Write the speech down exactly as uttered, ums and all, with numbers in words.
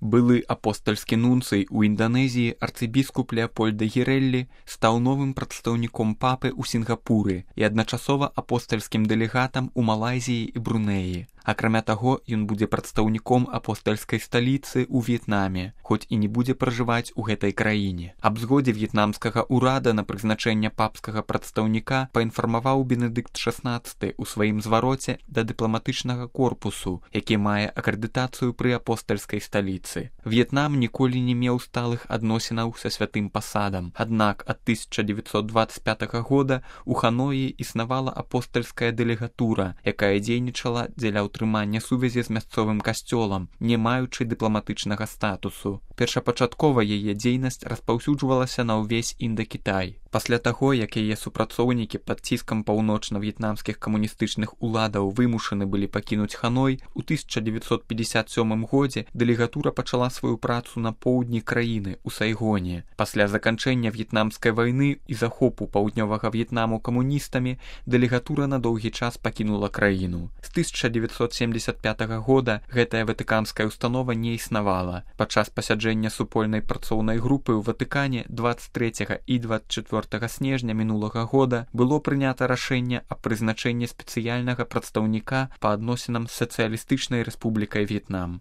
Былы апостальскі нунцый у Інданезіі арцыбіскуп Леапольд де Гірэллі стаў новым прадстаўніком папы ў Сінгапуры і адначасова апостальскім дэлегатам у Малайзіі і Брунеі. Акрамя таго, ён будзе прадстаўніком апостальскай сталіцы ў В'етнаме, хоць і не будзе пражываць у гэтай краіне. Аб згодзе в'етнамскага ўрада на прызначэнне папскага прадстаўніка паінфармаваў Бенедыкт шаснаццаты ў сваім звароце да дыпламатычнага корпусу, які мае акрэдытацыю пры апостальскай сталіцы. В'етнам ніколі не меў сталых адносінаў са святым пасадам, аднак ад тысяча дзевяцьсот дваццаць пятага года у Ханоі існавала апостальская дэлегатура, якая дзейнічала дзеля утрымання сувязі з мясцовым касцёлам, не маючы дыпламатычнага статусу. Першапачаткова яе дзейнасць распаўсюджвалася на ўвесь Індакітай. Пасля таго, як яе супрацоўнікі пад ціскам паўночна-в'етнамскіх камуністычных уладаў вымушаны былі пакінуць Ханой, у тысяча дзевяцьсот пятьдесят сёмым годзе дэлегатура пачала сваю працу на поўдні краіны, у Сайгоне. Пасля заканчэння в'етнамскай вайны і захопу паўднёвага В'етнаму камуністамі дэлегатура на доўгі час пакінула краіну. З тысяча дзевяцьсот семдзесят пятага года гэтая ватыканская установа не існавала. Падчас пасяджэння супольнай працоўнай групы ў Ватыкане дваццаць трэцяга і дваццаць чвёртага снежня мінулага года было прынята рашэнне аб прызначэнні спецыяльнага прадстаўніка па адносінам з сацыялістычнай рэспублікай В'етнам.